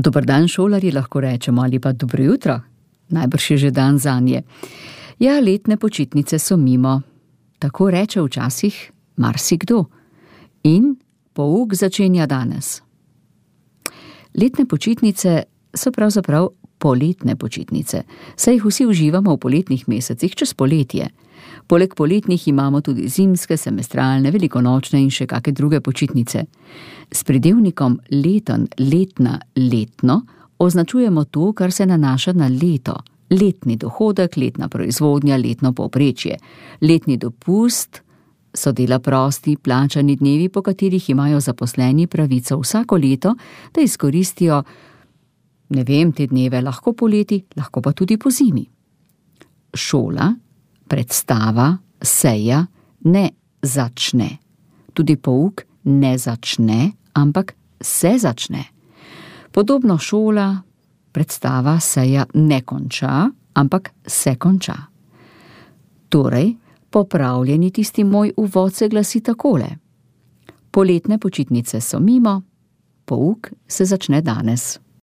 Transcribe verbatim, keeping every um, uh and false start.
Dober dan, šolarji, lahko rečemo, ali pa dobro jutro. Najbrž je že dan zanje. Ja, letne počitnice so mimo. Tako reče včasih marsikdo. In pouk začenja danes. Letne počitnice so pravzaprav poletne počitnice, saj jih vsi uživamo v poletnih mesecih čez poletje. Poleg poletnih imamo tudi zimske, semestralne, velikonočne in še kakšne druge počitnice. S pridevnikom leten, letna, letno označujemo to, kar se nanaša na leto. Letni dohodek, letna proizvodnja, letno povprečje. Letni dopust so dela prosti, plačani dnevi, po katerih imajo zaposleni pravico vsako leto, da izkoristijo, ne vem, te dneve lahko poleti, lahko pa tudi po zimi. Šola, predstava, seja ne začne. Tudi pouk ne začne, ampak se začne. Podobno šola, predstava, seja ne konča, ampak se konča. Torej, popravljeni tisti moj uvod se glasi takole. Poletne počitnice so mimo, pouk se začne danes.